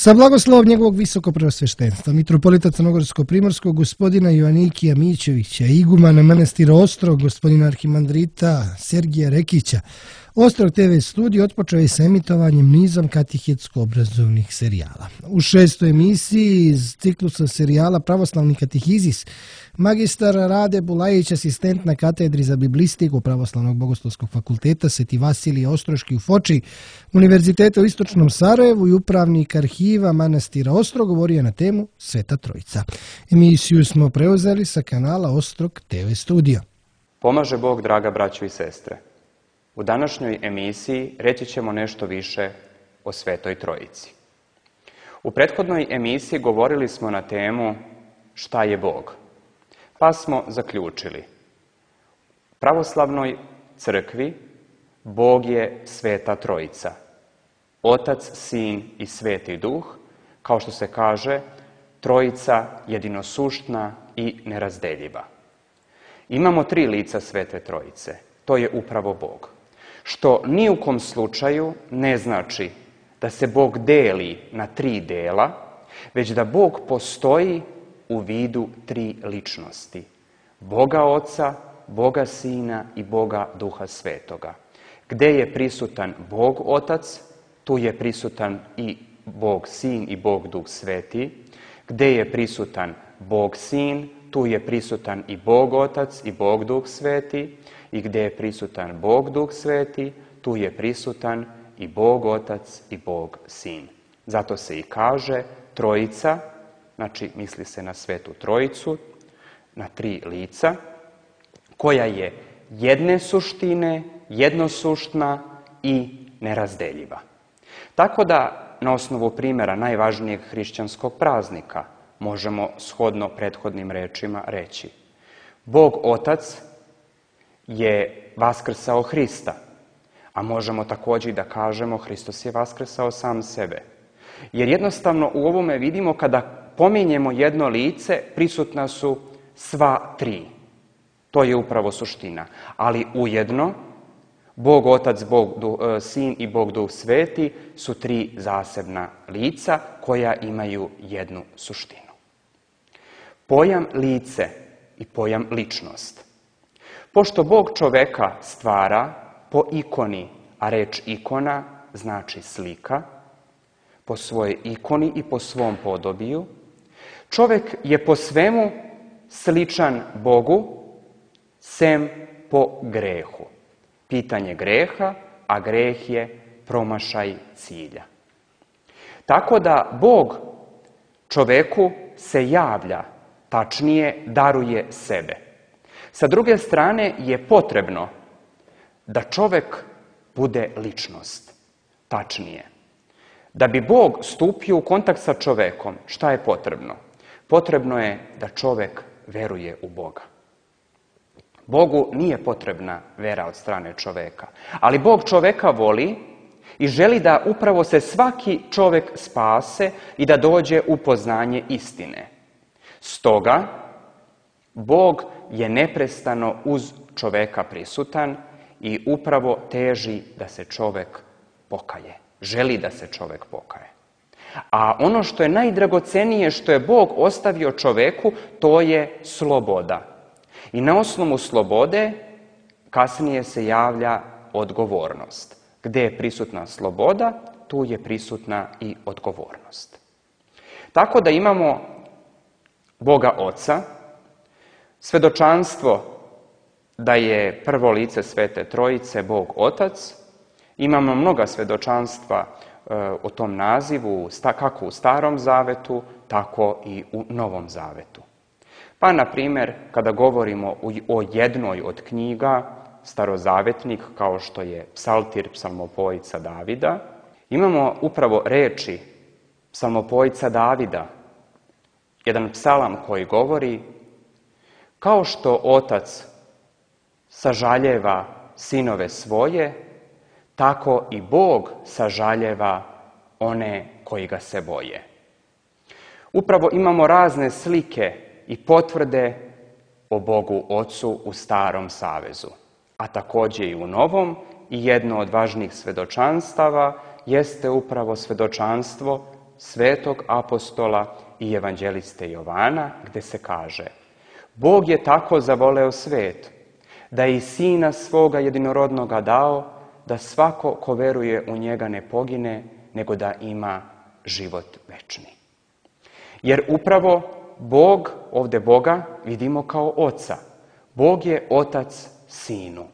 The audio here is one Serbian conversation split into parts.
Sa blagoslovom njegovog visokopreosveštenstva, mitropolita Crnogorsko-primorskog, gospodina Joanikija Mićevića, igumana manastira Ostrog, gospodina arhimandrita Sergija Rekića, Ostrog TV studio otpočeo je sa emitovanjem nizom katehetsko-obrazovnih serijala. U 6. emisiji iz ciklusa serijala Pravoslavni katehizis, magistar Rade Bulajić, asistent na katedri za biblistiku Pravoslavnog bogoslovskog fakulteta Sveti Vasilije Ostroški u Foči, Univerziteta u Istočnom Sarajevu i upravnik arhiva manastira Ostrog govorio je na temu Sveta Trojica. Emisiju smo preuzeli sa kanala Ostrog TV studio. Pomaže Bog, draga braćo i sestre. U današnjoj emisiji reći ćemo nešto više o Svetoj Trojici. U prethodnoj emisiji govorili smo na temu šta je Bog, pa smo zaključili. U pravoslavnoj crkvi Bog je Sveta Trojica, Otac, Sin i Sveti Duh, kao što se kaže, Trojica jedinosuštna i nerazdeljiva. Imamo 3 lica Svete Trojice, to je upravo Bog. Što ni u kom slučaju ne znači da se Bog deli na 3 dela, već da Bog postoji u vidu 3 ličnosti. Boga Oca, Boga Sina i Boga Duha Svetoga. Gde je prisutan Bog Otac, tu je prisutan i Bog Sin i Bog Duh Sveti. Gde je prisutan Bog Sin, tu je prisutan i Bog Otac i Bog Duh Sveti. I gdje je prisutan Bog Duh Sveti, tu je prisutan i Bog Otac i Bog Sin. Zato se i kaže Trojica, znači misli se na Svetu Trojicu, na 3 lica, koja je jedne suštine, jednosuštna i nerazdeljiva. Tako da, na osnovu primjera najvažnijeg hrišćanskog praznika, možemo shodno prethodnim rečima reći: Bog Otac je vaskrsao Hrista, a možemo također da kažemo Hristos je vaskrsao sam sebe. Jer jednostavno u ovome vidimo kada pominjemo jedno lice, prisutna su sva 3. To je upravo suština. Ali ujedno, Bog Otac, Bog Sin i Bog Duh Sveti su 3 zasebna lica koja imaju jednu suštinu. Pojam lice i pojam ličnost. Pošto Bog čoveka stvara po ikoni, a reč ikona znači slika, po svojoj ikoni i po svom podobiju, čovek je po svemu sličan Bogu, sem po grehu. Pitanje greha, a greh je promašaj cilja. Tako da Bog čoveku se javlja, tačnije daruje sebe. Sa druge strane je potrebno da čovek bude ličnost, tačnije. Da bi Bog stupio u kontakt sa čovekom, šta je potrebno? Potrebno je da čovek veruje u Boga. Bogu nije potrebna vera od strane čoveka, ali Bog čoveka voli i želi da upravo se svaki čovek spase i da dođe u poznanje istine. Stoga, Bog je neprestano uz čoveka prisutan i upravo teži da se čovek pokaje. Želi da se čovek pokaje. A ono što je najdragocenije što je Bog ostavio čoveku, to je sloboda. I na osnovu slobode kasnije se javlja odgovornost. Gde je prisutna sloboda, tu je prisutna i odgovornost. Tako da imamo Boga Oca, svedočanstvo da je prvo lice Svete Trojice Bog Otac. Imamo mnoga svedočanstva o tom nazivu, kako u Starom Zavetu, tako i u Novom Zavetu. Pa, na primjer, kada govorimo o jednoj od knjiga, starozavetnik, kao što je Psaltir, psalmopojca Davida, imamo upravo reči psalmopojca Davida, jedan psalam koji govori: kao što otac sažaljeva sinove svoje, tako i Bog sažaljeva one koji ga se boje. Upravo imamo razne slike i potvrde o Bogu Ocu u Starom Savezu, a također i u Novom, i jedno od važnijih svedočanstava jeste upravo svedočanstvo svetog apostola i evanđeliste Jovana, gdje se kaže: Bog je tako zavoleo svet, da je i Sina svoga jedinorodnoga dao, da svako ko veruje u njega ne pogine, nego da ima život večni. Jer upravo Bog, ovdje Boga vidimo kao Oca. Bog je Otac Sinu.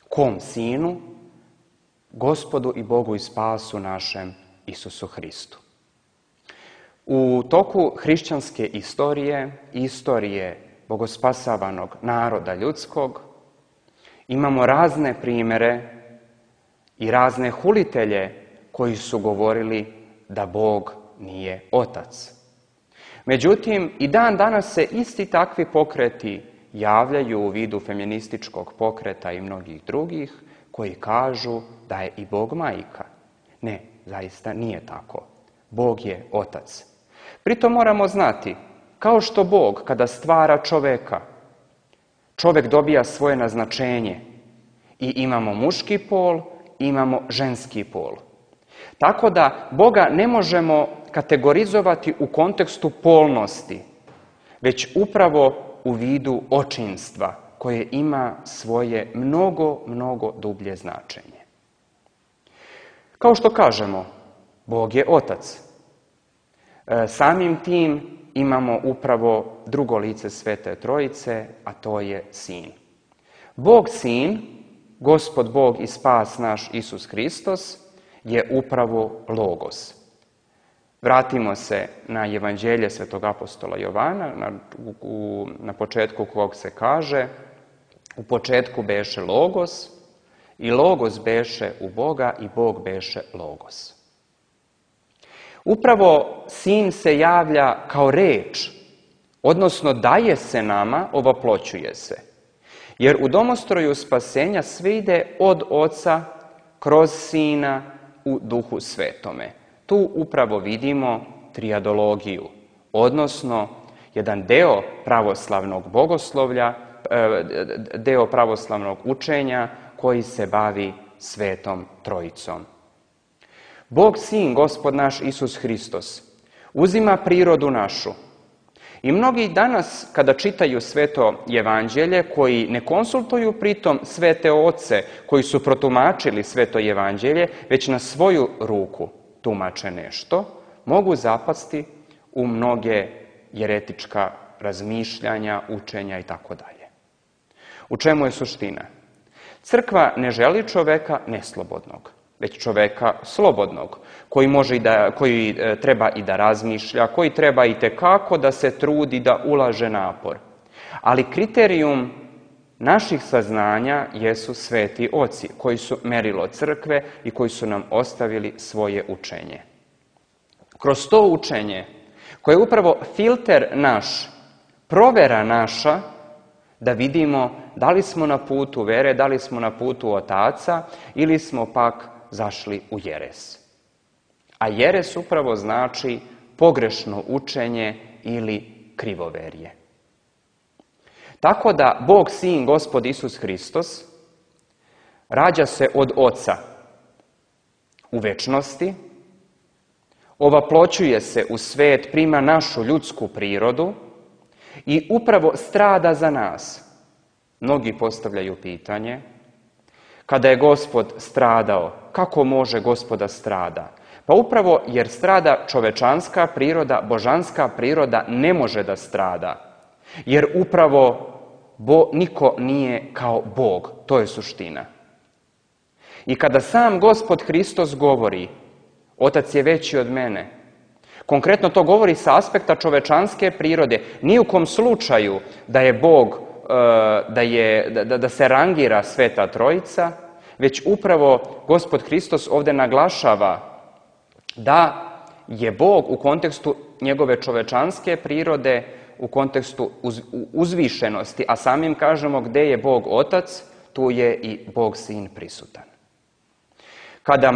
Kom Sinu? Gospodu i Bogu i spasu našem Isusu Hristu. U toku hrišćanske istorije i istorije bogospasavanog naroda ljudskog imamo razne primjere i razne hulitelje koji su govorili da Bog nije Otac. Međutim, i dan danas se isti takvi pokreti javljaju u vidu feminističkog pokreta i mnogih drugih koji kažu da je i Bog majka. Ne, zaista nije tako. Bog je Otac. Pritom moramo znati, kao što Bog kada stvara čoveka, čovek dobija svoje naznačenje i imamo muški pol, imamo ženski pol. Tako da Boga ne možemo kategorizovati u kontekstu polnosti, već upravo u vidu očinstva koje ima svoje mnogo dublje značenje. Kao što kažemo, Bog je Otac. Samim tim imamo upravo drugo lice Svete Trojice, a to je Sin. Bog Sin, Gospod Bog i spas naš Isus Hristos, je upravo Logos. Vratimo se na evanđelje svetog apostola Jovana, na početku kog se kaže: u početku beše Logos, i Logos beše u Boga, i Bog beše Logos. Upravo Sin se javlja kao reč, odnosno daje se nama, ovoploćuje se. Jer u domostroju spasenja sve ide od Oca kroz Sina u Duhu Svetome. Tu upravo vidimo trijadologiju, odnosno jedan deo pravoslavnog bogoslovlja, deo pravoslavnog učenja koji se bavi Svetom Trojicom. Bog Sin, Gospod naš Isus Hristos, uzima prirodu našu. I mnogi danas, kada čitaju Sveto evanđelje, koji ne konsultuju pritom svete oce koji su protumačili Sveto evanđelje, već na svoju ruku tumače nešto, mogu zapasti u mnoge jeretička razmišljanja, učenja itd. U čemu je suština? Crkva ne želi čoveka neslobodnog, već čoveka slobodnog, koji treba i da razmišlja, koji treba i tekako da se trudi, da ulaže napor. Ali kriterijum naših saznanja jesu sveti oci, koji su merilo crkve i koji su nam ostavili svoje učenje. Kroz to učenje, koje je upravo filter naš, provera naša, da vidimo da li smo na putu vere, da li smo na putu otaca ili smo pak zašli u jeres. A jeres upravo znači pogrešno učenje ili krivoverje. Tako da Bog Sin, Gospod Isus Hristos, rađa se od Oca u večnosti, ovaploćuje se u svet, prima našu ljudsku prirodu i upravo strada za nas. Mnogi postavljaju pitanje: kada je Gospod stradao, kako može Gospoda strada? Pa upravo jer strada čovečanska priroda, božanska priroda ne može da strada. Jer upravo niko nije kao Bog. To je suština. I kada sam Gospod Hristos govori: Otac je veći od mene, konkretno to govori sa aspekta čovečanske prirode. Ni u kom slučaju da je Bog, da se rangira Sveta Trojica, već upravo Gospod Hristos ovdje naglašava da je Bog u kontekstu njegove čovečanske prirode, u kontekstu uzvišenosti, a samim kažemo gdje je Bog Otac, tu je i Bog Sin prisutan. Kada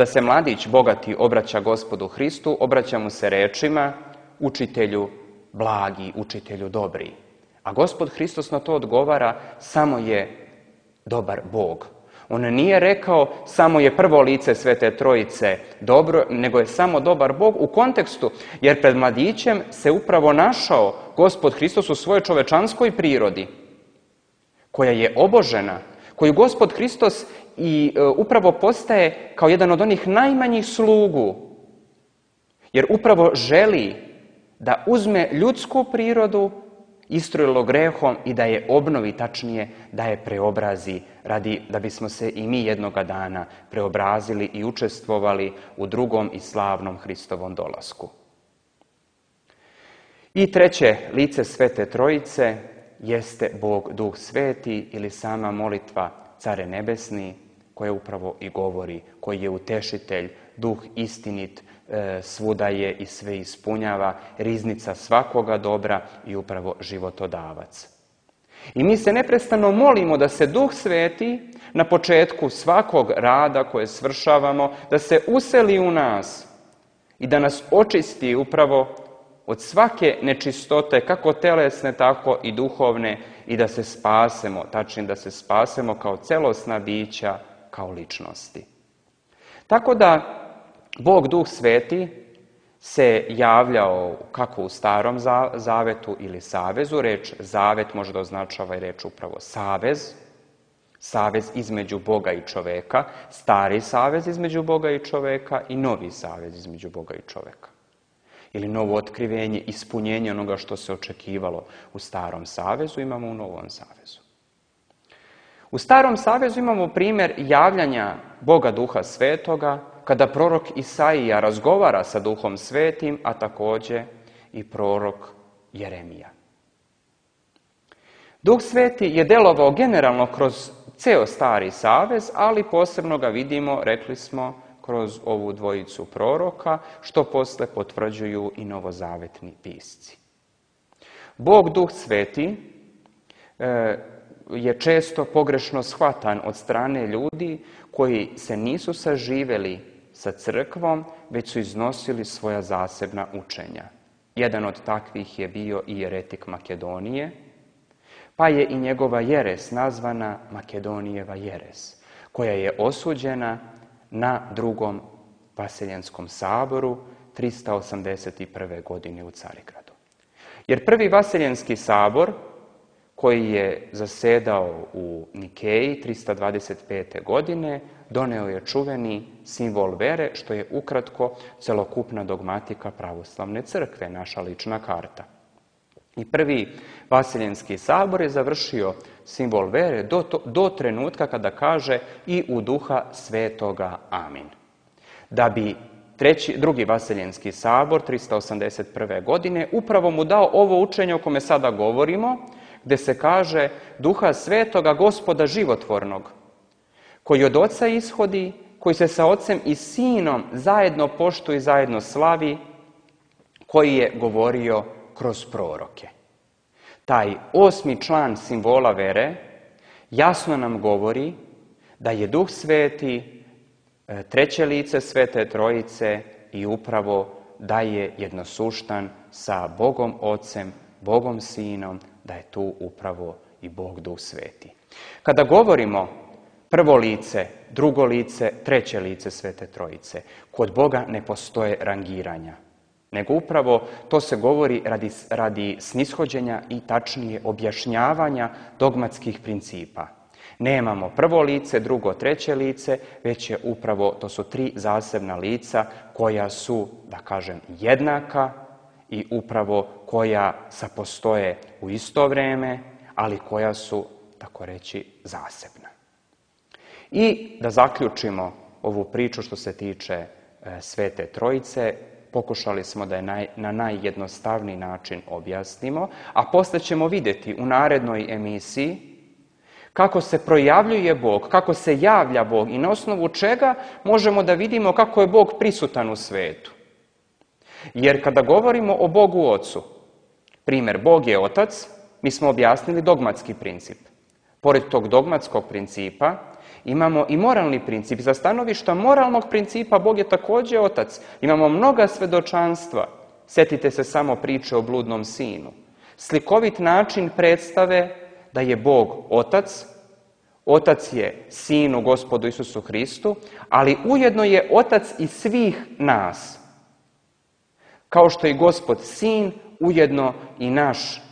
se mladić bogati obraća Gospodu Hristu, obraća mu se rečima: učitelju blagi, učitelju dobri. A Gospod Hristos na to odgovara: samo je dobar Bog. On nije rekao samo je prvo lice Svete Trojice dobro, nego je samo dobar Bog u kontekstu, jer pred mladićem se upravo našao Gospod Hristos u svojoj čovečanskoj prirodi, koja je obožena, koju Gospod Hristos i upravo postaje kao jedan od onih najmanjih slugu, jer upravo želi da uzme ljudsku prirodu istrojilo grehom i da je obnovi, tačnije da je preobrazi, da bismo se i mi jednoga dana preobrazili i učestvovali u drugom i slavnom Hristovom dolasku. I treće lice Svete Trojice jeste Bog Duh Sveti ili sama molitva Care Nebesni, koja upravo i govori, koji je utešitelj, Duh istinit, svuda je i sve ispunjava, riznica svakoga dobra i upravo životodavac. I mi se neprestano molimo da se Duh Sveti na početku svakog rada koje svršavamo, da se useli u nas i da nas očisti upravo od svake nečistote, kako telesne, tako i duhovne, i da se spasemo, tačnije da se spasemo kao celosna bića, kao ličnosti. Tako da Bog Duh Sveti se javljao kako u Starom Zavetu ili savezu. Reč zavet može da označava i reč upravo savez. Savez između Boga i čoveka, stari savez između Boga i čoveka i novi savez između Boga i čoveka. Ili novo otkrivenje, ispunjenje onoga što se očekivalo u Starom savezu, imamo u Novom savezu. U Starom savezu imamo primjer javljanja Boga Duha Svetoga, kada prorok Isaija razgovara sa Duhom Svetim, a također i prorok Jeremija. Duh Sveti je delovao generalno kroz ceo Stari savez, ali posebno ga vidimo, rekli smo, kroz ovu dvojicu proroka, što posle potvrđuju i novozavetni pisci. Bog Duh Sveti je često pogrešno shvatan od strane ljudi koji se nisu saživeli sa crkvom, već su iznosili svoja zasebna učenja. Jedan od takvih je bio i jeretik Makedonije, pa je i njegova jeres nazvana Makedonijeva jeres, koja je osuđena na drugom Vaseljenskom saboru 381. godine u Carigradu. Jer prvi Vaseljenski sabor, koji je zasedao u Nikeji 325. godine, doneo je čuveni simbol vere, što je ukratko celokupna dogmatika pravoslavne crkve, naša lična karta. I prvi Vaseljenski sabor je završio simbol vere do trenutka kada kaže i u Duha Svetoga amin. Da bi drugi Vaseljenski sabor 381. godine upravo mu dao ovo učenje o kome sada govorimo, gde se kaže Duha Svetoga, Gospoda životvornog, koji od Oca ishodi, koji se sa Ocem i Sinom zajedno poštuje i zajedno slavi, koji je govorio kroz proroke. Taj 8. član simbola vere jasno nam govori da je Duh Sveti treće lice Svete Trojice i upravo da je jednosuštan sa Bogom Ocem, Bogom Sinom, da je tu upravo i Bog Duh Sveti. Kada govorimo prvo lice, drugo lice, treće lice Svete Trojice, kod Boga ne postoje rangiranja, nego upravo to se govori radi snishođenja i tačnije objašnjavanja dogmatskih principa. Nemamo prvo lice, drugo, treće lice, već je upravo, to su tri zasebna lica koja su, da kažem, jednaka i upravo koja sapostoje u isto vrijeme, ali koja su, tako reći, zasebna. I da zaključimo ovu priču što se tiče Svete Trojice, pokušali smo da je na najjednostavniji način objasnimo, a posle ćemo vidjeti u narednoj emisiji kako se projavljuje Bog, kako se javlja Bog i na osnovu čega možemo da vidimo kako je Bog prisutan u svetu. Jer kada govorimo o Bogu Ocu, primjer, Bog je Otac, mi smo objasnili dogmatski princip. Pored tog dogmatskog principa imamo i moralni princip. Za stanovišta moralnog principa Bog je također Otac. Imamo mnoga svedočanstva. Sjetite se samo priče o bludnom sinu. Slikovit način predstave da je Bog Otac, Otac je Sinu, Gospodu Isusu Hristu, ali ujedno je Otac i svih nas. Kao što je Gospod Sin, ujedno i naš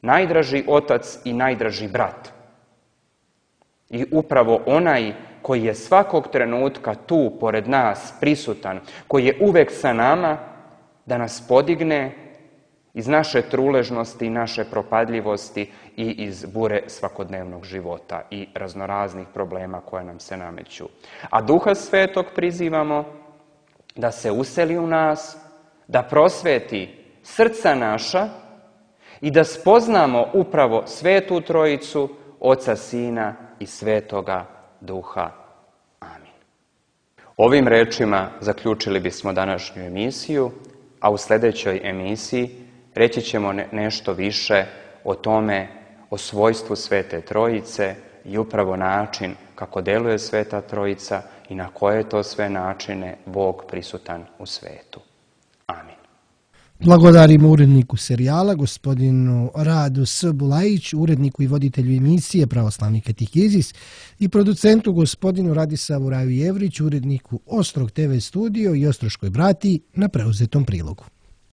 najdraži Otac i najdraži brat. I upravo onaj koji je svakog trenutka tu, pored nas, prisutan, koji je uvek sa nama, da nas podigne iz naše truležnosti i naše propadljivosti i iz bure svakodnevnog života i raznoraznih problema koje nam se nameću. A Duha Svetog prizivamo da se useli u nas, da prosveti srca naša i da spoznamo upravo Svetu Trojicu, Oca, Sina i Svetoga Duha. Amin. Ovim rečima zaključili bismo današnju emisiju, a u sljedećoj emisiji reći ćemo nešto više o tome, o svojstvu Svete Trojice i upravo način kako deluje Sveta Trojica i na koje to sve načine Bog prisutan u svetu. Amin. Blagodarimo uredniku serijala, gospodinu Radu S. Bulajiću, uredniku i voditelju emisije Pravoslavni katehizis i producentu gospodinu Radisavu Raju Jevriću, uredniku Ostrog TV studio i Ostroškoj bratiji na preuzetom prilogu.